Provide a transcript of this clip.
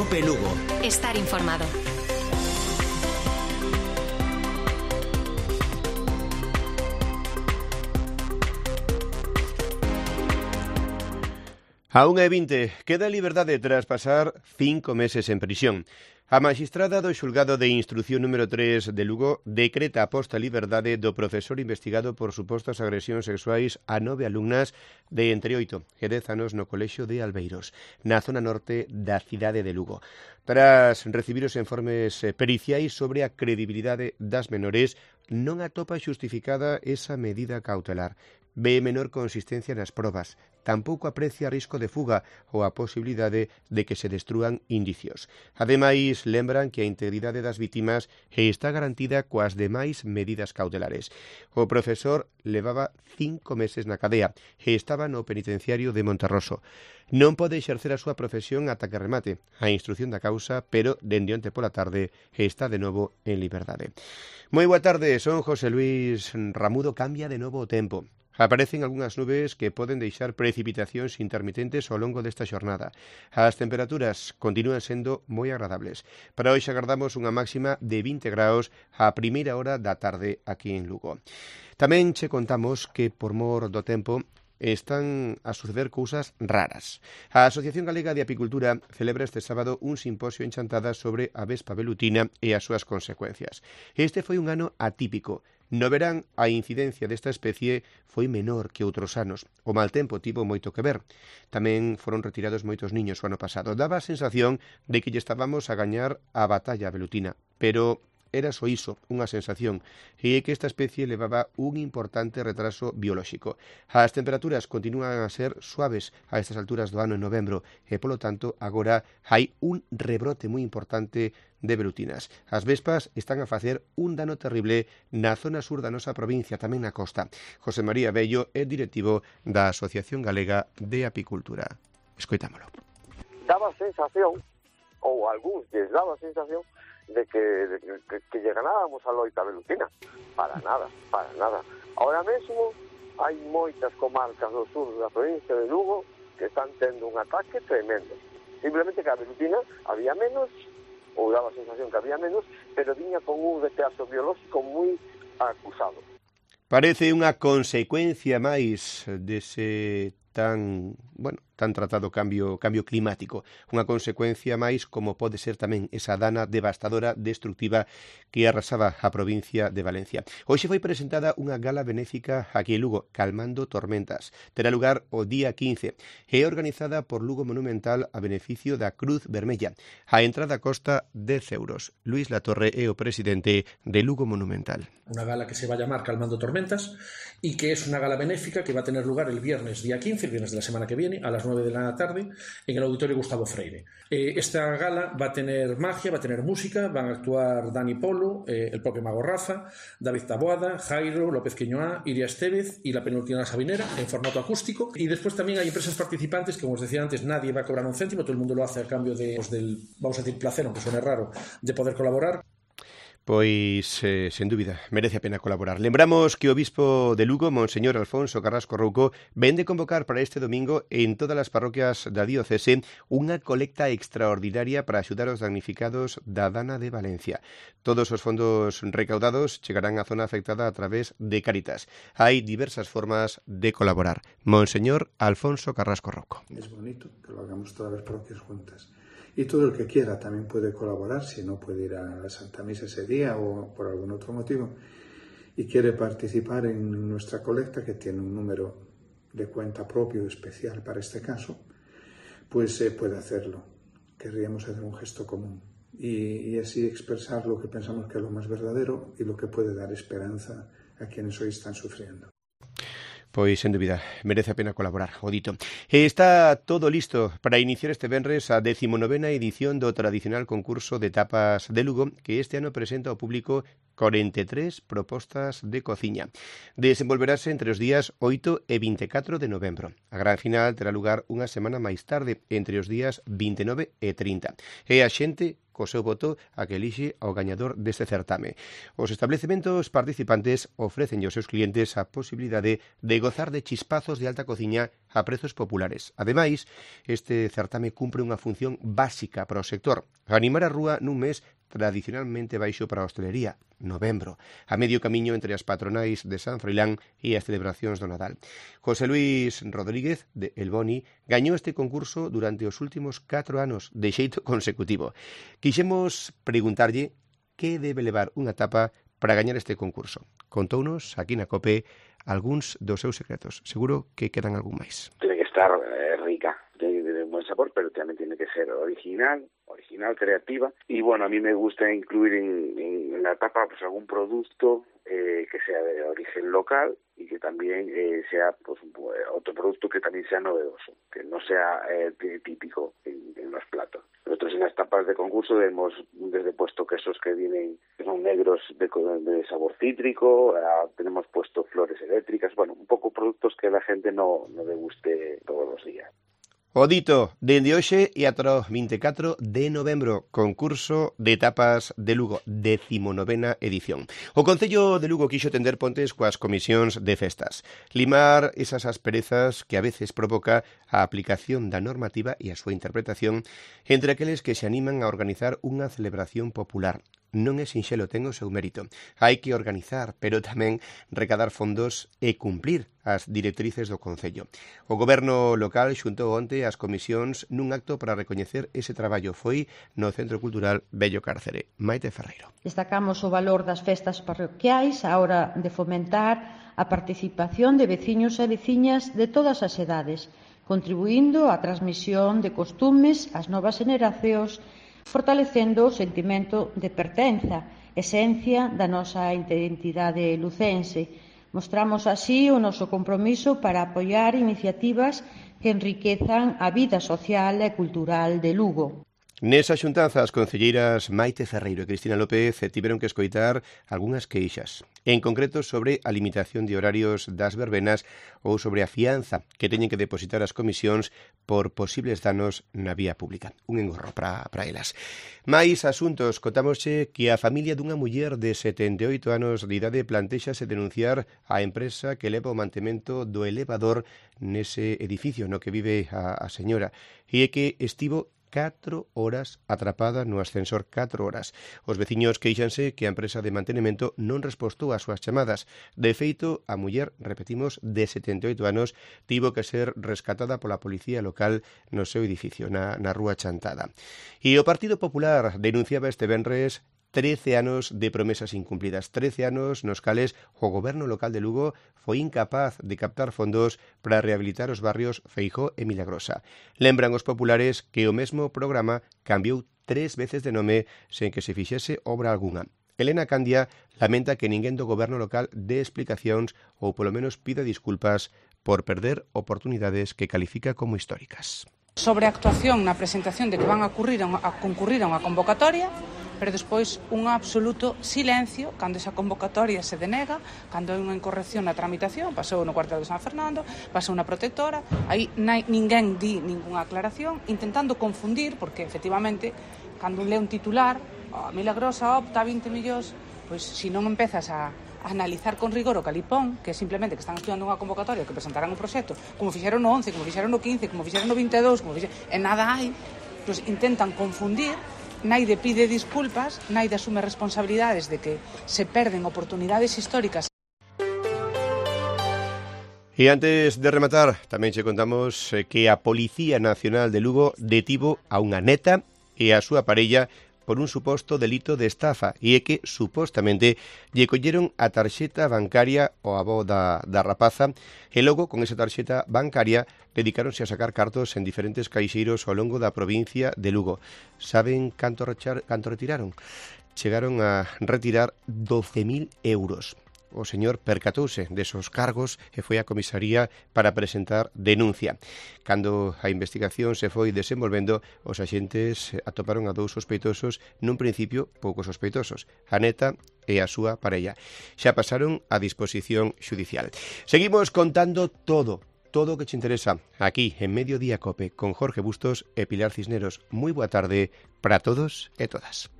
COPE Lugo. Estar informado. A 1:20, queda en liberdade tras pasar 5 meses en prisión. A magistrada do xulgado de instrucción número 3 de Lugo decreta a posta en liberdade do profesor investigado por supostas agresións sexuais a 9 alumnas de entre 8 e 10 anos no colexio de Albeiros, na zona norte da cidade de Lugo. Tras recibir os informes periciais sobre a credibilidade das menores, non atopa xustificada esa medida cautelar. Ve menor consistencia nas probas, tampouco aprecia risco de fuga ou a posibilidade de que se destrúan indicios. Ademais, lembran que a integridade das vítimas está garantida coas demais medidas cautelares. O profesor levaba 5 meses na cadea e estaba no penitenciario de Monterroso. Non pode exercer a súa profesión ata que remate a instrución da causa, pero dende onte pola tarde está de novo en liberdade. Moi boa tarde, son José Luis Ramudo. Cambia de novo o tempo. Aparecen algunhas nubes que poden deixar precipitacións intermitentes ao longo desta xornada. As temperaturas continúan sendo moi agradables. Para hoxe agardamos unha máxima de 20 graus á primeira hora da tarde aquí en Lugo. Tamén che contamos que por mor do tempo están a suceder cousas raras. A Asociación Galega de Apicultura celebra este sábado un simposio en Chantada sobre a vespa velutina e as súas consecuencias. Este foi un ano atípico. No verán, a incidencia desta especie foi menor que outros anos. O mal tempo tivo moito que ver. Tamén foron retirados moitos niños o ano pasado. Daba a sensación de que lle estábamos a gañar a batalla velutina, pero era só iso, unha sensación, e é que esta especie levaba un importante retraso biolóxico. As temperaturas continúan a ser suaves a estas alturas do ano en novembro e, polo tanto, agora hai un rebrote moi importante de velutinas. As vespas están a facer un dano terrible na zona sur da nosa provincia, tamén na costa. José María Bello é directivo da Asociación Galega de Apicultura. Escoitámolo. Daba sensación, ou algúns lles daba sensación, de que lle ganábamos a loita velutina. Para nada. Ahora mesmo hai moitas comarcas do sur da provincia de Lugo que están tendo un ataque tremendo. Simplemente que a velutina había menos, ou daba a sensación que había menos, pero viña con un retraso biolóxico moi acusado. Parece unha consecuencia máis dese tan tratado cambio climático, unha consecuencia máis como pode ser tamén esa dana devastadora, destructiva que arrasaba a provincia de Valencia. Hoxe foi presentada unha gala benéfica aquí en Lugo, Calmando Tormentas. Terá lugar o día 15 e é organizada por Lugo Monumental a beneficio da Cruz Vermella. A entrada costa 10 euros. Luis Latorre é o presidente de Lugo Monumental. Una gala que se va a llamar Calmando Tormentas y que es una gala benéfica que va a tener lugar el viernes día 15, el viernes de la semana que viene, a las 9 de la tarde, en el Auditorio Gustavo Freire. Esta gala va a tener magia, va a tener música, van a actuar Dani Polo, el propio Mago Rafa, David Taboada, Jairo, López Queñoá, Iria Estevez y la penúltima Sabinera en formato acústico. Y después también hay empresas participantes que, como os decía antes, nadie va a cobrar un céntimo, todo el mundo lo hace a cambio del, vamos a decir, placer, aunque suene raro, de poder colaborar. Pois, sen dúbida, merece a pena colaborar. Lembramos que o bispo de Lugo, Monseñor Alfonso Carrasco Rouco, vende convocar para este domingo en todas as parroquias da diocese unha colecta extraordinaria para axudar os damnificados da dana de Valencia. Todos os fondos recaudados chegarán á zona afectada a través de Cáritas. Hai diversas formas de colaborar. Monseñor Alfonso Carrasco Rouco. Es bonito que lo hagamos todas las parroquias juntas. Y todo el que quiera también puede colaborar, si no puede ir a la Santa Misa ese día o por algún otro motivo, y quiere participar en nuestra colecta, que tiene un número de cuenta propio especial para este caso, pues puede hacerlo. Querríamos hacer un gesto común y así expresar lo que pensamos que es lo más verdadero y lo que puede dar esperanza a quienes hoy están sufriendo. Pois, sen dúbida, merece a pena colaborar, o dito. Está todo listo para iniciar este venres a 19ª edición do tradicional concurso de tapas de Lugo, que este ano presenta ao público 43 propostas de cociña. Desenvolverase entre os días 8 e 24 de novembro. A gran final terá lugar unha semana máis tarde, entre os días 29 e 30. E a xente co seu voto a que elixe ao gañador deste certame. Os establecementos participantes ofrecen aos seus clientes a posibilidade de gozar de chispazos de alta cociña a prezos populares. Ademais, este certame cumpre unha función básica para o sector: animar a rúa nun mes tradicionalmente baixo para a hostelería, novembro, a medio camiño entre as patronais de San Froilán e as celebracións do Nadal. José Luis Rodríguez, de El Boni, gañou este concurso durante os últimos 4 anos de xeito consecutivo. Quixemos preguntarlle que debe levar unha tapa para gañar este concurso. Contounos, aquí na COPE, algúns dos seus secretos. Seguro que quedan algún máis. Tiene que estar rica, tiene que tener buen sabor, pero también tiene que ser original, creativa. Y bueno, a mí me gusta incluir en la tapa pues algún producto que sea de origen local y que también sea pues otro producto que también sea novedoso, que no sea típico en los platos. Nosotros en las tapas de concurso hemos desde puesto quesos que son negros de sabor cítrico, tenemos puesto flores eléctricas, bueno, un poco productos que la gente no deguste todos los días. O dito, dende hoxe e ata o 24 de novembro, concurso de tapas de Lugo, 19ª edición. O Concello de Lugo quixo tender pontes coas comisións de festas, limar esas asperezas que a veces provoca a aplicación da normativa e a súa interpretación entre aqueles que se animan a organizar unha celebración popular. Non é sinxelo, ten o seu mérito. Hai que organizar, pero tamén recadar fondos e cumplir as directrices do Concello. O Goberno local xuntou onte as comisións nun acto para recoñecer ese traballo. Foi no Centro Cultural Bello Cárcere. Maite Ferreiro. Destacamos o valor das festas parroquiais á hora de fomentar a participación de veciños e veciñas de todas as edades, contribuindo á transmisión de costumes ás novas xeracións, fortalecendo o sentimento de pertenza, esencia da nosa identidade lucense. Mostramos así o noso compromiso para apoiar iniciativas que enriquezan a vida social e cultural de Lugo. Nesa xuntanza, as concelleiras Maite Ferreiro e Cristina López tiveron que escoitar algunhas queixas, en concreto sobre a limitación de horarios das verbenas ou sobre a fianza que teñen que depositar as comisións por posibles danos na vía pública. Un engorro para elas. Mais asuntos, contámosche que a familia dunha muller de 78 anos de idade plantexase denunciar a empresa que leva o mantemento do elevador nese edificio no que vive a señora, e que estivo 4 horas atrapada no ascensor, 4 horas. Os veciños queixanse que a empresa de mantenimento non respostou ás súas chamadas. De feito, a muller, repetimos, de 78 anos, tivo que ser rescatada pola policía local no seu edificio, na Rúa Chantada. E o Partido Popular denunciaba este venres 13 anos de promesas incumplidas, 13 anos nos cales o goberno local de Lugo foi incapaz de captar fondos para rehabilitar os barrios Feijó e Milagrosa. Lembran os populares que o mesmo programa cambiou 3 veces de nome sen que se fixese obra algunha. Elena Candia lamenta que ninguén do goberno local dé explicacións ou polo menos pida disculpas por perder oportunidades que califica como históricas. Sobre a actuación na presentación de que van a concurrir a unha convocatoria, pero despois un absoluto silencio cando esa convocatoria se denega, cando hai unha incorrección na tramitación, pasou no cuartel de San Fernando, pasou na protectora, aí ninguén di ningunha aclaración, intentando confundir, porque efectivamente, cando un lee un titular, Milagrosa opta a 20 millóns, pois se non empezas a analizar con rigor o calipón, que é simplemente que están estudiando unha convocatoria, que presentarán un proxecto, como fixeron no 11, como fixeron no 15, como fixeron no 22, e nada hai, pois intentan confundir. Naide pide disculpas, Naide asume responsabilidades de que se perden oportunidades históricas. E antes de rematar, tamén che contamos que a Policía Nacional de Lugo detivo a unha neta e a súa parella por un suposto delito de estafa, e é que, supostamente, lle colleron a tarxeta bancaria ao avó da rapaza, e logo, con esa tarxeta bancaria, dedicáronse a sacar cartos en diferentes caixeiros ao longo da provincia de Lugo. Saben canto retiraron? Chegaron a retirar 12.000 euros. O señor percatouse desos cargos e foi á comisaría para presentar denuncia. Cando a investigación se foi desenvolvendo, os axentes atoparon a 2 sospeitosos, nun principio pouco sospeitosos, a neta e a súa parella. Xa pasaron a disposición xudicial. Seguimos contando todo o que te interesa aquí en Mediodía Cope con Jorge Bustos e Pilar Cisneros. Moi boa tarde para todos e todas.